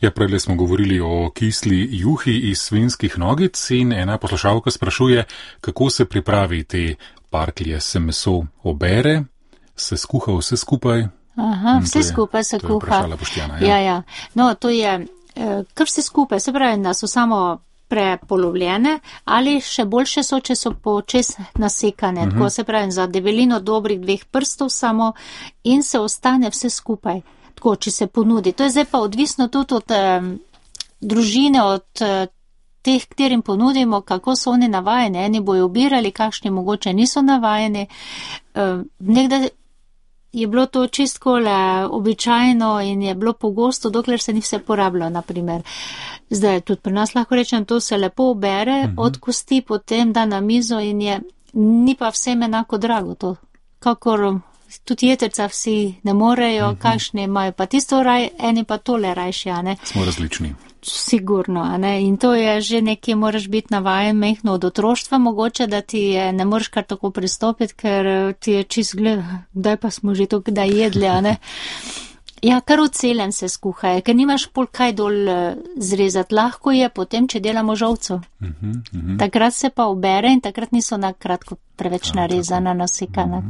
Ja, prej smo govorili o kisli juhi iz svinjskih nogic in ena poslušalka sprašuje, kako se pripravi te parklje. Se meso obere, se skuha vse skupaj? Aha, vse skupaj se kuha. To je vprašala Boštjana, ja. Ja. No, to je kar vse skupaj, se pravi, da so samo prepolovljene ali še boljše so, če so počes nasekane. Tako se pravi, za debelino dobrih 2 prstov samo in se ostane vse skupaj. Tako, če se ponudi. To je zdaj pa odvisno tudi od družine, od teh, katerim ponudimo, kako so oni navajeni. Eni bojo obirali, kakšni mogoče niso navajeni. Nekdaj je bilo to čistko običajno in je bilo pogosto, dokler se ni vse porabilo, naprimer. Zdaj, tudi pri nas lahko rečem, to se lepo obere od kosti, potem da na mizo in ni pa vsem enako drago to. Kakor tudi jeterca vsi ne morejo, kakšni imajo pa tisto raj, eni pa tole rajši, a ne. Smo različni. Sigurno, a ne. In to je že nekje, moraš biti navajen mehno od otroštva mogoče, da ti ne moreš kar tako pristopiti, ker ti je čist kdaj pa smo že to kdaj jedli, a ne. Ja, kar v celem se skuhajo, ker nimaš pol kaj dol zrezati. Lahko je potem, če delamo žolco. Takrat se pa obere in takrat niso na kratko preveč narezana, nasekana.